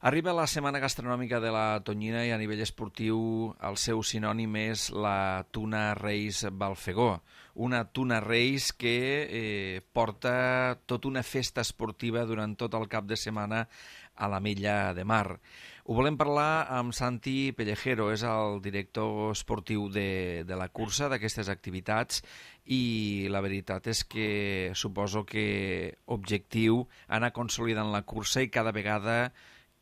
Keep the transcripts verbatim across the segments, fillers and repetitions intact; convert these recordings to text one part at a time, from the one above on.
Arriba la setmana gastronòmica de la tonyina i a nivell esportiu el seu sinònim és la Tuna Reis Balfegó, una Tuna Reis que eh, porta tota una festa esportiva durant tot el cap de setmana a l'Ametlla de Mar. Ho volem parlar amb Santi Pellejero, és el director esportiu de, de la cursa, d'aquestes activitats, i la veritat és que suposo que objectiu anar consolidant la cursa i cada vegada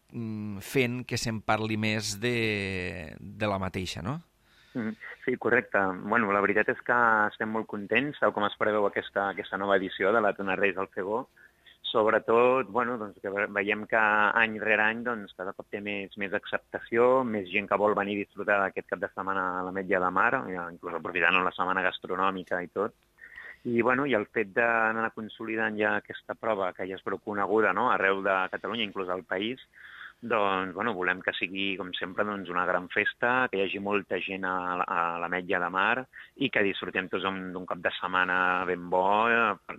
fent que se'n parli més de, de la mateixa, no? Sí, correcte. Bueno, la veritat és que estem molt contents, tal com es preveu aquesta, aquesta nova edició de la Tuna Reis Balfegó. Sobretot, bueno, doncs, que veiem que any rere any doncs, cada cop té més, més acceptació, més gent que vol venir a disfrutar d'aquest cap de setmana a l'Ametlla de Mar, inclús aprofitant la setmana gastronòmica i tot. I, bueno, i el fet d'anar consolidant ja aquesta prova, que ja és prou coneguda, no?, arreu de Catalunya, inclús al país, doncs, bueno, volem que sigui, com sempre, doncs, una gran festa, que hi hagi molta gent a, a l'Ametlla de Mar i que disfrutem tots d'un cap de setmana ben bo,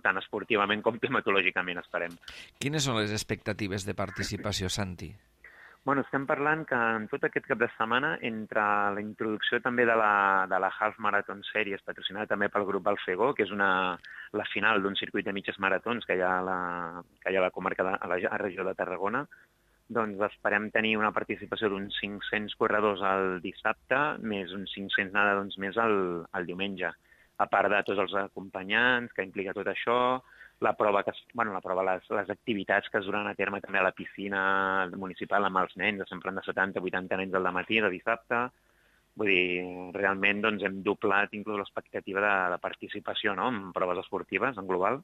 tant esportivament com climatològicament, esperem. Quines són les expectatives de participació, Santi? Bueno, estem parlant que en tot aquest cap de setmana, entre la introducció també de la, de la Half Marathon Series, patrocinada també pel grup Balfegó, que és una, la final d'un circuit de mitges maratons que hi ha a la, que hi ha a la comarca de a la, a la regió de Tarragona, doncs esperem tenir una participació d'uns cinc-cents corredors el dissabte, més uns cinc-cents nedadors més el, el diumenge. A part de tots els acompanyants que implica tot això, la prova, que, bueno, la prova les, les activitats que es duran a terme també a la piscina municipal amb els nens, sempre de setanta a vuitanta nens al matí de dissabte. Vull dir, realment doncs, hem doblat inclús l'expectativa de, de participació, no?, en proves esportives en global.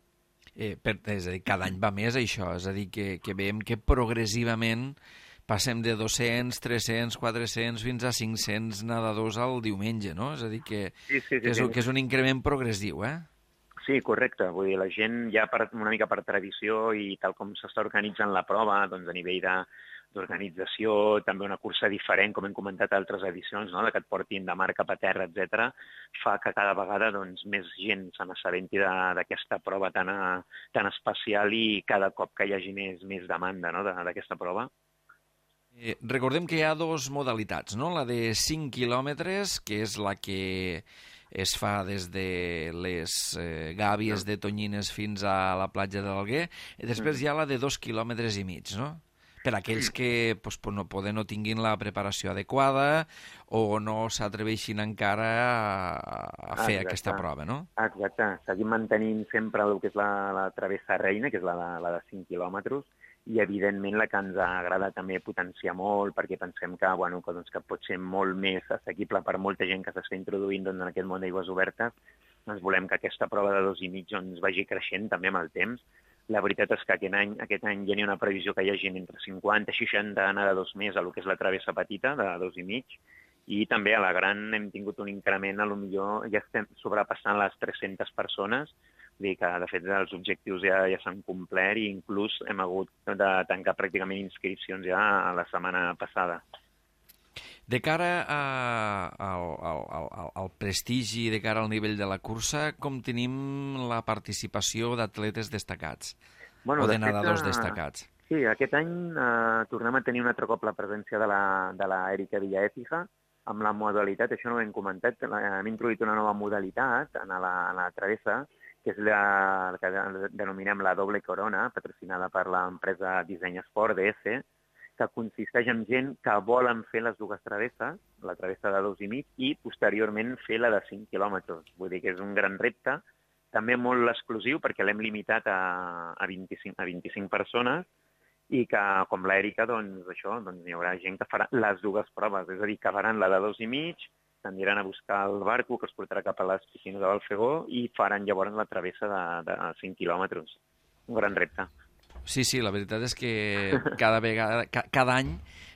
Eh, per, és a dir, cada any va més això, és a dir, que, que veiem que progressivament passem de dos-cents, tres-cents, quatre-cents fins a cinc-cents nedadors al diumenge, no? És a dir, que, sí, sí, sí, que, és, sí. que és un increment progressiu, eh? Sí, correcte. Vull dir, la gent ja per, una mica per tradició i tal com s'està organitzant la prova, doncs a nivell de d'organització, també una cursa diferent, com hem comentat a altres edicions, no?, de que et portin de mar cap a terra, etcètera, fa que cada vegada doncs, més gent se n'assabenti d'aquesta prova tan, tan especial i cada cop que hi hagi més, més demanda, no?, d'aquesta prova. Eh, recordem que hi ha dues modalitats, no?, la de cinc quilòmetres, que és la que es fa des de les eh, gàbies de Tonyines fins a la platja de l'Alguer, i després hi ha la de dos quilòmetres i mig, no?, per aquells que pues, no poden no tinguin la preparació adequada o no s'atreveixin encara a, a fer Exacte. Aquesta prova, no? Exacte. Seguim mantenint sempre el que és la, la travessa reina, que és la, la de cinc quilòmetres, i evidentment la que ens agrada també potenciar molt, perquè pensem que, bueno, que, doncs, que pot ser molt més assequible per molta gent que s'està introduint doncs, en aquest món d'aigües obertes. Doncs volem que aquesta prova de dos i mig doncs, vagi creixent també amb el temps. La veritat és que aquest any, aquest any ja n'hi ha una previsió que hi hagi entre cinquanta i seixanta nedadors més a lo que és la travessa petita de dos i mig, i també a la gran hem tingut un increment, a lo millor ja estem sobrepassant les tres-centes persones, vull dir que de fet els objectius ja, ja s'han complert i inclús hem hagut de tancar pràcticament inscripcions ja a la setmana passada. De cara a, al, al, al, al prestigi, de cara al nivell de la cursa, com tenim la participació d'atletes destacats bueno, o de, de nedadors fet, destacats? Sí, aquest any eh, tornem a tenir un altre cop la presència de la, de la Erika Villaécija amb la modalitat, això no ho hem comentat, hem introduït una nova modalitat en la, en la travessa, que és la, la que denominem la doble corona, patrocinada per l'empresa Disseny Esport, D S, que consisteix en gent que volen fer les dues travesses, la travessa de dos i mig, i posteriorment fer la de cinc quilòmetres. Vull dir que és un gran repte, també molt exclusiu, perquè l'hem limitat a, a, vint-i-cinc, a vint-i-cinc persones, i que, com l'Èrica, doncs, això, doncs, hi haurà gent que farà les dues proves, és a dir, que faran la de dos i mig, s'aniran a buscar el barco que es portarà cap a les piscines de Balfegó i faran llavors la travessa de, de cinc quilòmetres. Un gran repte. Sí, sí, la veritat és que cada vegada, ca, cada any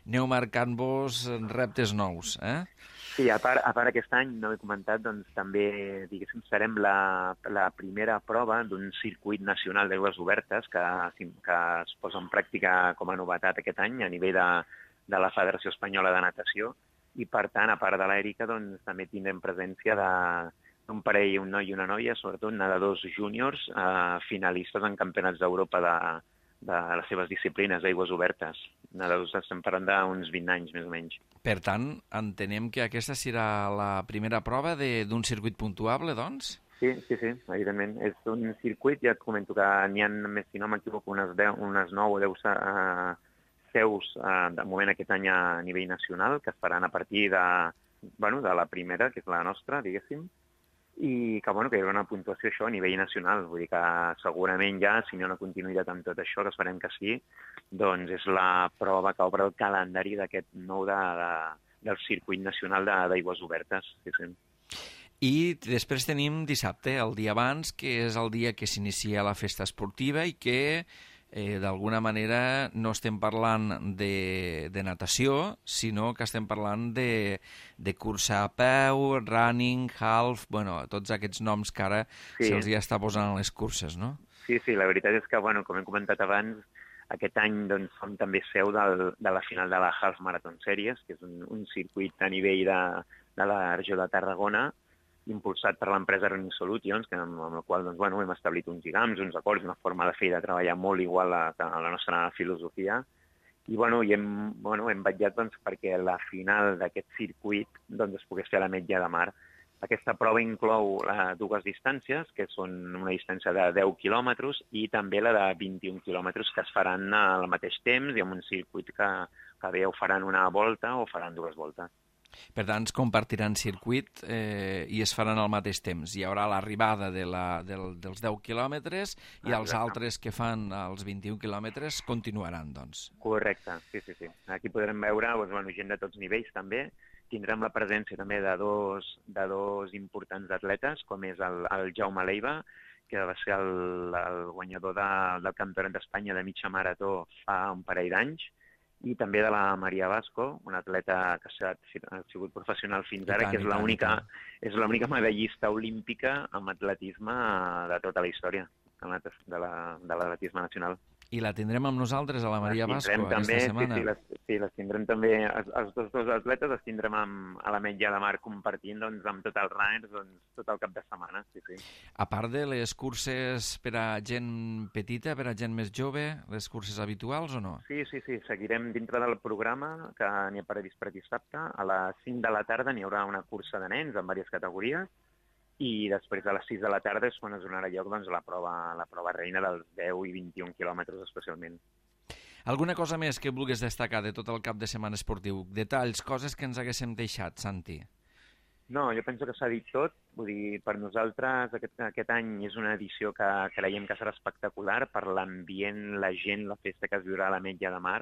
aneu marcant-vos reptes nous, eh? Sí, a part, a part aquest any, no he comentat, doncs també, diguéssim, serem la, la primera prova d'un circuit nacional d'aigües obertes que, que es posa en pràctica com a novetat aquest any a nivell de, de la Federació Espanyola de Natació, i per tant, a part de l'Èrica, doncs també tindrem presència de un parell, un noi i una noia, sobretot nedadors júniors, eh, finalistes en campionats d'Europa de, de les seves disciplines d'aigües obertes. Estem parlant d'uns vint anys, més o menys. Per tant, entenem que aquesta serà la primera prova d'un circuit puntuable, doncs? Sí, sí, sí, evidentment. És un circuit, ja et comento que n'hi ha, més si no m'equivoco, unes, unes nou o deu uh, seus uh, de moment aquest any a nivell nacional, que es faran a partir de, bueno, de la primera, que és la nostra, diguéssim, i que, bueno, que hi haurà una puntuació això a nivell nacional. Vull dir que segurament ja, si no hi ha una continuïtat amb tot això, que esperem que sí, doncs és la prova que obre el calendari d'aquest nou de, de, del circuit nacional d'aigües obertes. Sí, sí. I després tenim dissabte, el dia abans, que és el dia que s'inicia la festa esportiva i que eh, d'alguna manera no estem parlant de, de natació, sinó que estem parlant de, de cursa a peu, running, half, bueno, tots aquests noms que ara sí. se'ls ja està posant a les curses, no? Sí, sí, la veritat és que, bueno, com hem comentat abans, aquest any doncs, som també seu del, de la final de la Half Marathon Series, que és un, un circuit a nivell de, de la regió de Tarragona, impulsat per l'empresa Running Solutions, que, amb, amb la qual doncs, bueno, hem establit uns lligams, uns acords, una forma de fer i de treballar molt igual a, a la nostra filosofia. I bueno, i hem, bueno, hem vetllat doncs, perquè la final d'aquest circuit doncs, es pogués fer a l'Ametlla de Mar. Aquesta prova inclou uh, dues distàncies, que són una distància de deu quilòmetres i també la de vint-i-un quilòmetres, que es faran al mateix temps i amb un circuit que, que bé o faran una volta o faran dues voltes. Per tant, es compartiran circuit eh, i es faran al mateix temps. Hi haurà l'arribada de la, del, dels deu quilòmetres i ah, els altres que fan els vint-i-un quilòmetres continuaran, doncs. Correcte, sí, sí, sí. Aquí podrem veure doncs, bueno, gent de tots nivells, també. Tindrem la presència també de dos, de dos importants atletes, com és el, el Jaume Leiva, que va ser el, el guanyador de, del Campionat d'Espanya de mitja marató fa un parell d'anys, i també de la Maria Vasco, una atleta que ha sigut professional fins ara, tant, que és l'única és l'única medallista olímpica en atletisme de tota la història de l'atletisme nacional. I la tindrem amb nosaltres, a la Maria Vasco, aquesta també, setmana? Sí, sí, les, sí, les tindrem també, els, els dos, dos atletes els tindrem amb, a l'Ametlla de Mar compartint doncs, amb tot el runners doncs, tot el cap de setmana. Sí, sí. A part de les curses per a gent petita, per a gent més jove, les curses habituals o no? Sí, sí, sí, seguirem dintre del programa que n'hi ha previst per dissabte. A les cinc de la tarda n'hi haurà una cursa de nens en diverses categories, i després a les sis de la tarda és quan es donarà lloc doncs, la, prova, la prova reina dels deu i vint-i-un quilòmetres especialment. Alguna cosa més que vulguis destacar de tot el cap de setmana esportiu? Detalls, coses que ens haguéssim deixat, Santi? No, jo penso que s'ha dit tot. Vull dir, per nosaltres aquest, aquest any és una edició que creiem que serà espectacular per l'ambient, la gent, la festa que es viurà a l'Ametlla de Mar,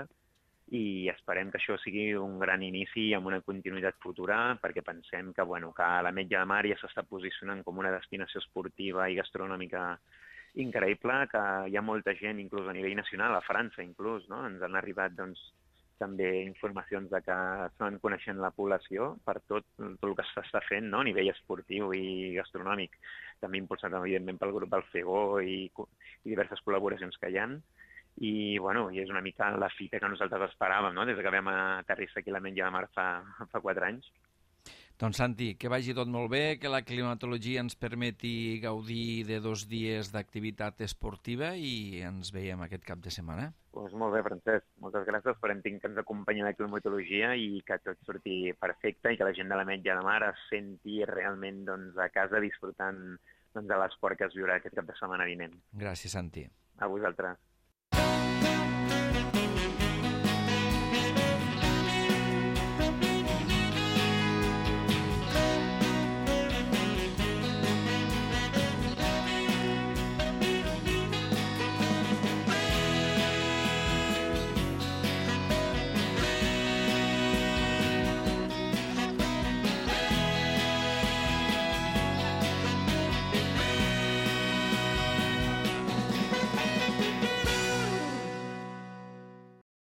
i esperem que això sigui un gran inici amb una continuïtat futura, perquè pensem que, bueno, que l'Ametlla de Mar ja s'està posicionant com una destinació esportiva i gastronòmica increïble, que hi ha molta gent, inclús a nivell nacional, a França inclús, no? Ens han arribat doncs, també informacions de que estan coneixent la població per tot, tot el que s'està fent, no? A nivell esportiu i gastronòmic, també impulsat evidentment pel grup del FEGO i, i diverses col·laboracions que hi ha. I, bueno, i és una mica la fita que nosaltres esperàvem, no?, des que vam aterrissar aquí a l'Ametlla de Mar fa, fa quatre anys. Doncs, Santi, que vagi tot molt bé, que la climatologia ens permeti gaudir de dos dies d'activitat esportiva i ens veiem aquest cap de setmana. Doncs molt bé, Francesc. Moltes gràcies. Esperem que ens acompanyi la climatologia i que tot surti perfecte i que la gent de l'Ametlla de Mar es senti realment doncs, a casa disfrutant doncs, de l'esport que es viurà aquest cap de setmana vinent. Gràcies, Santi. A vosaltres.